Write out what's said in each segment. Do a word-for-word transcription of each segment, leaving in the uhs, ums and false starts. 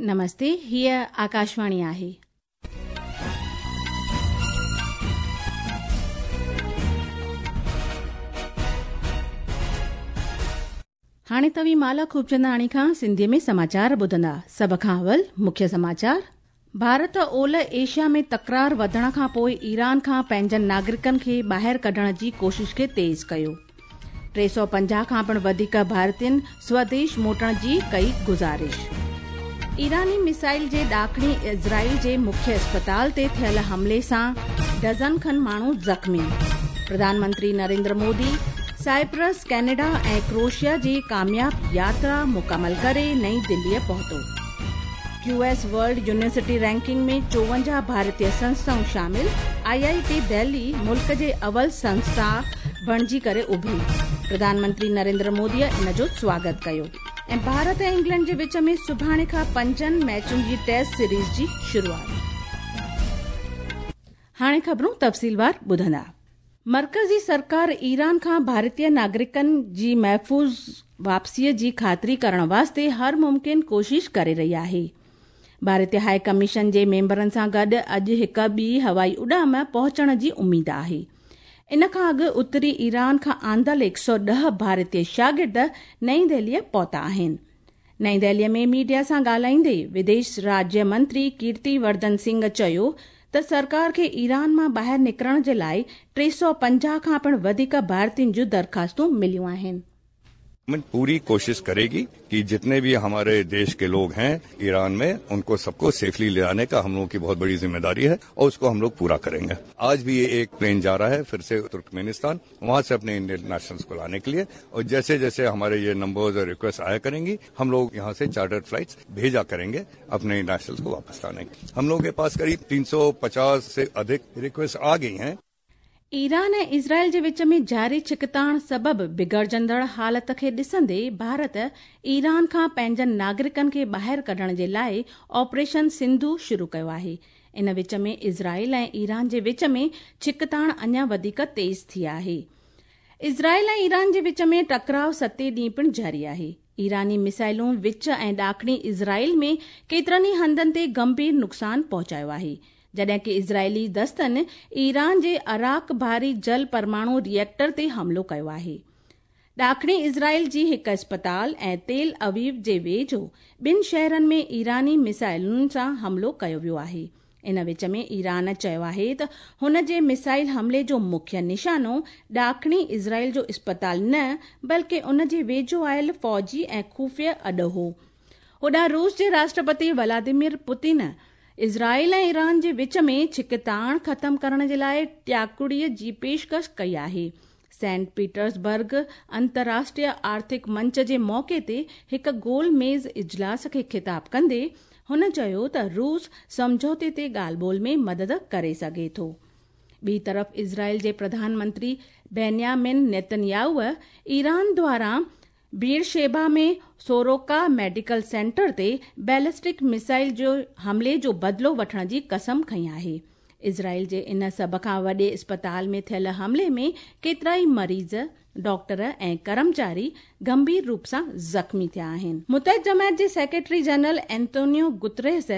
नमस्ते, हीअ आकाशवाणी आहे। हाणे तव्हीं माला खूबचंदाणी खां सिंधीअ में समाचार ॿुधंदा। सभ खां अवल मुख्य समाचार। भारत ओलह एशिया में तकरार वधण खां पोइ ईरान खां पंहिंजनि नागरिकनि खे ॿाहिरि कढण जी कोशिश खे तेज़ कयो। टे सौ पंजाह खां पिणु वधीक भारतीयनि स्वदेश मोटण जी कई गुज़ारिश। ईरानी मिसाइल जे ॾाखणी इज़राइल जे मुख्य अस्पताल ते थियल हमले सां डज़न खनि माण्हू ज़ख़्मी। प्रधानमंत्री नरेंद्र मोदी साइप्रस, कैनेडा ऐं क्रोएशिया जी कामयाब यात्रा मुकमल करे नई दिल्लीअ पहुतो। क्यूएस वर्ल्ड यूनिवर्सिटी रैंकिंग में चोवंजाह भारतीय संस्थाऊं शामिल। आईआईटी दिल्ली मुल्क जे अवल संस्था बणिजी करे उभरी। प्रधानमंत्री नरेंद्र मोदीअ इन जो स्वागत कयो। ऐं भारत ऐं इंग्लैंड जे विच में सुभाणे खां पंजनि मैचुनि जी टेस्ट सीरीज़ जी शुरूआत। हाणे ख़बरूं तफ़सीलवार ॿुधंदा। मर्कज़ी सरकार ईरान खां भारतीय नागरिकनि जी महफ़ूज़ वापसीअ जी ख़ातिरी करण वास्ते हर मुमकिन कोशिश करे रही आहे। भारतीय हाई कमीशन जे मेंबरनि सां गॾु अॼु हिक ॿी हवाई उॾाम पहुचण जी उमेद आहे। इन खां अॻु उत्तरी ईरान खां आंदल हिकु सौ ॾह भारतीय शागिर्द नई दिल्लीअ पहुता आहिनि। नई दिल्लीअ में मीडिया सां ॻाल्हाईंदे विदेश राज्य मंत्री कीर्ति वर्धन सिंह चयो त सरकार खे ईरान मां ॿाहिरि निकिरण जे लाइ टे सौ पंजाह खां पिणु वधीक भारतीयनि जूं दरख़्वास्तूं मिलियूं आहिनि। गवर्नमेंट पूरी कोशिश करेगी कि जितने भी हमारे देश के लोग हैं ईरान में, उनको सबको सेफली ले आने का हम लोगों की बहुत बड़ी जिम्मेदारी है और उसको हम लोग पूरा करेंगे। आज भी ये एक प्लेन जा रहा है फिर से तुर्कमेनिस्तान, वहां से अपने इंडियन नेशनल्स को लाने के लिए। और जैसे जैसे हमारे ये नंबर्स और रिक्वेस्ट आया करेंगी, हम लोग यहाँ से चार्टर्ड फ्लाइट्स भेजा करेंगे अपने नेशनल्स को वापस लाने के। हम लोगों के पास करीब तीन सौ पचास से अधिक रिक्वेस्ट आ गई हैं। ईरान ऐं इज़राइल जे विच में जारी छिकताण सबबु बिगड़जंदड़ हालत खे ॾिसंदे भारत ईरान खां पंहिंजनि नागरिकनि खे ॿाहिरि कढण जे लाइ ऑपरेशन सिंधु शुरू कयो आहे। इन विच में इज़राइल ऐं ईरान जे विच में छिकताण अञा वधीक तेज़ थी आहे। इज़राइल ऐं ईरान जे विच में टकराव सते ॾींहं पिणु जारी आहे। ईरानी मिसाइलूं विच ऐं ॾाखणी इज़राइल में केतिरनि ई हंधनि ते गंभीर नुक़सानु पहुचायो आहे, जॾहिं की इज़राइली दस्तनि ईरान जे अराक भारी जल परमाणु रिएक्टर ते हमलो कयो आहे। ॾाखणी इज़राइल जी हिकु अस्पताल ऐं तेल अवीव जे वेझो ॿिनि शहरनि में ईरानी मिसाइलुनि सां हमलो कयो वियो आहे। इन विच में ईरान चयो आहे त हुन जे मिसाइल हमले जो मुख्य निशानो ॾाखणी इज़राइल जो अस्पताल न बल्कि उन जे वेझो आयल फ़ौजी ऐं ख़ुफ़िया अॾो हो। होॾां रूस जे राष्ट्रपति व्लादिमीर पुतिन इज़राइल ऐं ईरान जे विच में छिकताण ख़तम करण जे लाइ टियाकुड़ीअ जी पेशकश कई आहे। सेंट पीटर्सबर्ग अंतर्राष्ट्रीय आर्थिक मंच जे मौक़े ते हिकु गोल मेज़ इजलास खे ख़िताब कंदे हुन चयो त रूस सम्झौते ते ॻाल्हि ॿोल में मदद करे सघे थो। ॿी तरफ़ इज़राइल जे प्रधानमंत्री बेन्यामिन नेतन्याहू ईरान द्वारा बीरशेबा में सोरोका मेडिकल सेंटर ते बैलिस्टिक मिसाइल जो हमले जो बदिलो वठण जी कसम खई आहे। इज़राइल जे इन सभ खां वॾे अस्पताल में थियल हमले में केतिरा ई मरीज़, डॉक्टर ऐं कर्मचारी गंभीर रूप सां ज़ख़्मी थिया आहिनि। मुतहिद जमायत जे secretary general Antonio Guterres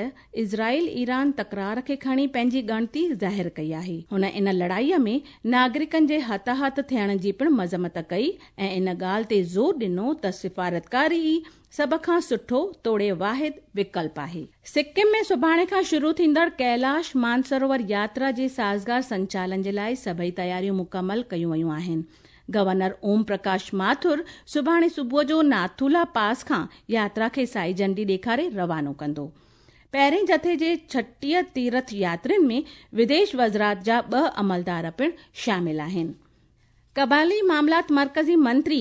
Israel Iran तकरार खे खणी पंहिंजी ॻणती ज़ाहिर कई आहे। हुन इन लड़ाईअ में नागरिकनि जे हताहत थियण जी पिणु मज़म्मत कई ऐं इन ॻाल्हि ते ज़ोर ॾिनो त सिफारतकारी ई सभ खां सुठो तोड़े वाहिद विकल्प आहे। सिक्किम में सुभाणे खां शुरू थींदड़ कैलाश मानसरोवर यात्रा जे साज़गार संचालन जे लाइ सभई तयारियूं मुकमल कयूं वयूं आहिनि। गवर्नर ओम प्रकाश माथुर सुभाणे सुबुह जो नाथुला पास खां यात्रा खे साई झंडी ॾेखारे रवानो कंदो। पहिरें जथे जे छटीह तीर्थ यात्रियुनि में विदेश वज़ारत जा ॿ अमलदार पिणु शामिल आहिनि। कबाइली मामलात मर्कज़ी मंत्री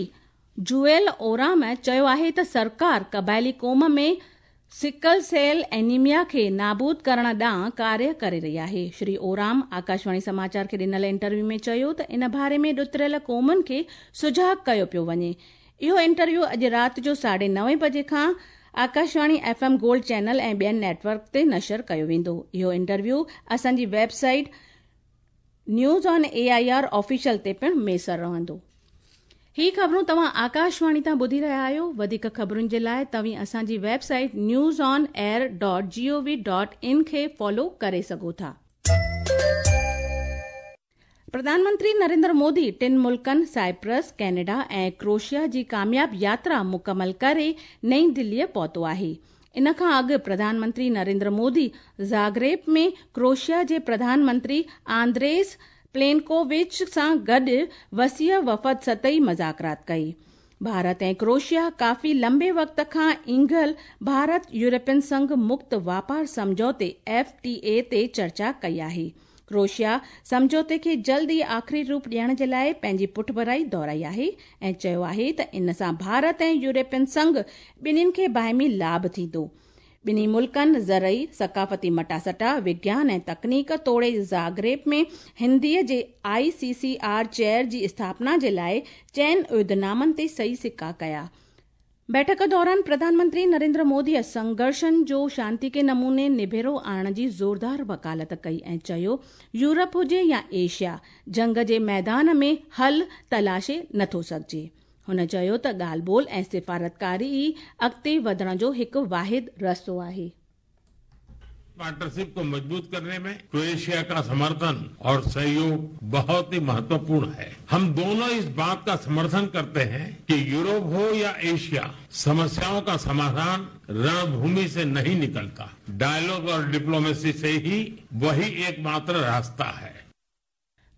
जुएल ओराम चयो आहे त सरकार कबाइली क़ौम में सिकल सेल एनीमिया खे नाबूद करण ॾांहुं कार्य करे रही आहे। श्री ओराम आकाशवाणी समाचार खे ॾिनल इंटरव्यू में चयो त इन बारे में ॾुतरियल क़ौमुनि खे सुझाग कयो पियो वञे। इहो इंटरव्यू अॼु राति जो साढे नवे बजे खां Akashvani F M gold channel ऐं ॿियनि नेटवर्क ते नशर कयो वेंदो। इहो इंटरव्यू असांजी website news on A I R official ते पिणु मयसर रहंदो। ही ख़बरूं तव्हां आकाशवाणी तां ॿुधी रहिया आहियो। वधीक ख़बरुनि जे लाइ तव्हीं असांजी website news on air dot G O V dot in खे फॉलो करे सघो था। प्रधानमंत्री नरेंद्र मोदी टिनि मुल्कनि साइप्रस, कैनेडा ऐं क्रोएशिया जी कामयाब यात्रा मुकमल करे नई दिल्लीअ पहुतो आहे। इन खां अॻु प्रधानमंत्री नरेंद्र मोदी ज़ाग्रेब में क्रोएशिया जे प्रधानमंत्री आंद्रेस प्लेनकोविच सां गॾु वसीअ वफ़द सतही मुज़ाकरात कई। भारत ऐं क्रोएशिया काफ़ी लंबे वक़्त खां ईंगल भारत यूरोपियन संघ मुक्त वापार सम्झौते एफ टी ए ते चर्चा कई आहे। क्रोएशिया सम्झौते खे जल्द ई आख़िरी रूप ॾियण जे लाइ पंहिंजी पुठभराई दोहराई आहे ऐं चयो आहे त इन सां भारत ऐं यूरोपियन संघ ॿिन्हिनि खे बाहिमी लाभ थींदो। ॿिन्ही मुल्कनि ज़रई, सकाफ़ती मटासटा, विज्ञान ऐं तकनीक तोड़े ज़ाग्रेब में हिंदीअ जे आई सी सी आर चेयर जी स्थापना जे लाइ चइनि उहिदनामनि ते सही सिक्का कया। बैठक दौरान प्रधानमंत्री नरेंद्र मोदीअ संघर्षनि जो शांति के नमूने निबेरो आणण जी ज़ोरदार वकालत कई ऐं चयो यूरोप हुजे या एशिया, जंग जे मैदान में हल तलाशे नथो सघिजे। हुन चयो त ॻाल्हि ॿोल ऐं सिफारतकारी ई अॻिते वधण जो हिकु वाहिद रस्तो आहे। पार्टनरशिप को मजबूत करने में क्रोएशिया का समर्थन और सहयोग बहुत ही महत्वपूर्ण है। हम दोनों इस बात का समर्थन करते हैं कि यूरोप हो या एशिया, समस्याओं का समाधान रणभूमि से नहीं निकलता। डायलॉग और डिप्लोमेसी से ही वही एकमात्र रास्ता है।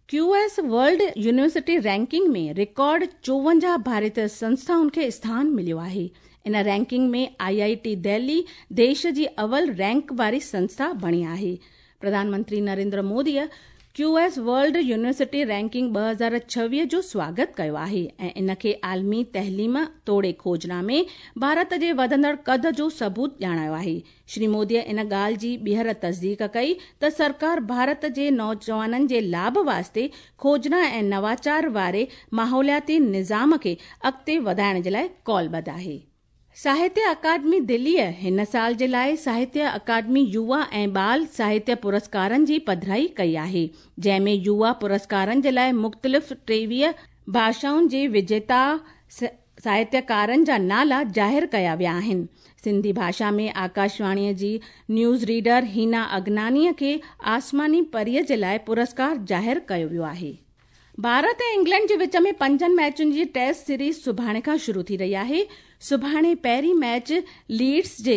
Q S world university ranking में रिकॉर्ड चोवंजाह भारतीय संस्थाउनि खे स्थान मिलियो आहे। इन रैंकिंग में आई I T Delhi देश जी अवल रैंक वारी संस्था बणी आहे। प्रधानमंत्री नरेंद्र मोदीअ Q S world university ranking ॿ हज़ार छवीह जो स्वागत कयो आहे ऐं इन खे आलमी तइलीम तोड़े खोजना में भारत जे वधंदड़ कद जो सबूत ॼाणायो आहे। श्री मोदीअ इन ॻाल्हि जी ॿीहर तस्दीक कई त सरकार भारत जे नौजवाननि जे लाभ वास्ते खोजना ऐं नवाचार वारे माहौलियाती निज़ाम खे अॻिते वधाइण जे लाइ कॉलबद्ध आहे। साहित्य अकादमी दिल्लीअ हिन साल जे लाइ साहित्य अकादमी युवा ऐं बाल साहित्य पुरस्कारनि जी पधराई कई आहे, जंहिंमें युवा पुरस्कारनि जे लाइ मुख़्तलिफ़ टेवीह भाषाउनि जे विजेता साहित्यकारनि जा नाला ज़ाहिर कया विया आहिनि। सिंधी भाषा में आकाशवाणीअ जी न्यूज़ रीडर हीना अगनानीअ खे आसमानी परीअ जे लाइ पुरस्कार ज़ाहिर कयो वियो आहे। भारत ऐं इंग्लैंड जे विच में पंजनि मैचुनि जी टेस्ट सीरीज़ सुभाणे खां शुरू थी रही आहे। सुभाणे पहिरीं मैच लीड्स जे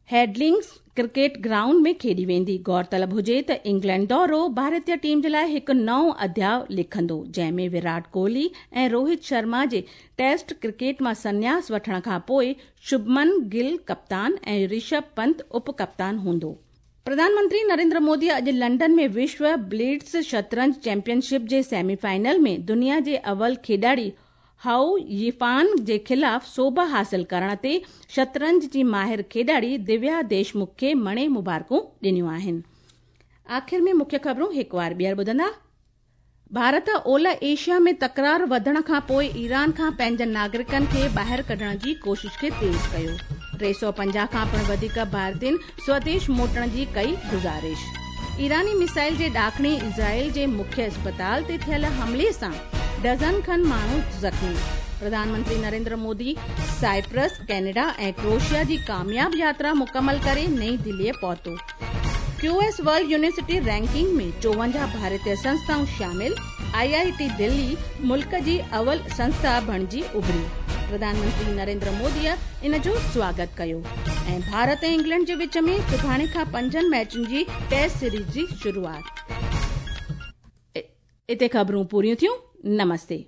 हेडलिंग्स क्रिकेट ग्राउंड में खेॾी वेंदी। गौरतलब हुजे त इंग्लैंड दौरो भारतीय टीम जे लाइ हिकु नओं अध्याय लिखंदो, जंहिंमें विराट कोहली ऐं रोहित शर्मा जे टेस्ट क्रिकेट मां संन्यास वठण खां पोइ शुभमन गिल कप्तान ऐं ऋषभ पंत उप कप्तान हूंदो। प्रधानमंत्री नरेंद्र मोदी अॼु लंडन में विश्व ब्लिट्स शतरंज चैंपियनशिप जे सेमीफाइनल में दुनिया जे अवल खेॾाड़ी how यिफान जे ख़िलाफ़ सोभ हासिल करण ते शतरंज जी माहिर खेॾाड़ी दिव्या देशमुख खे मणे मुबारकूं ॾिनियूं आहिनि। आख़िर में मुख्य ख़बरूं हिकु वार ॿीहर ॿुधंदा। भारत ओलह एशिया में तकरार वधण खां पोइ ईरान खां पंहिंजनि नागरिकनि खे ॿाहिरि कढण जी कोशिश खे तेज़ कयो। टे सौ पंजाह खां पिणु वधीक भारतीयनि स्वदेश मोटण जी कई गुज़ारिश। ईरानी मिसाइल जे ॾाखणी इज़राइल जे मुख्य अस्पताल ते थियल हमले सां डज़न खन माण्हू ज़ख़्मी। प्रधानमंत्री नरेंद्र मोदी साइप्रस, कैनेडा ऐं क्रोएशिया जी कामयाब यात्रा मुकमल करे नई दिल्लीअ पहुतो। Q S world university ranking में चोवंजाह भारतीय संस्थाऊं शामिल। आई I T Delhi मुल्क जी अवल संस्था बणिजी उभरी। प्रधानमंत्री नरेंद्र मोदीअ इन जो स्वागत कयो। ऐं भारत ऐं इंग्लैंड जे विच में सुभाणे खां पंजनि मैचुनि जी टेस्ट सीरीज़ जी शुरूआत। इते ख़बरूं पूरियूं थियूं। नमस्ते।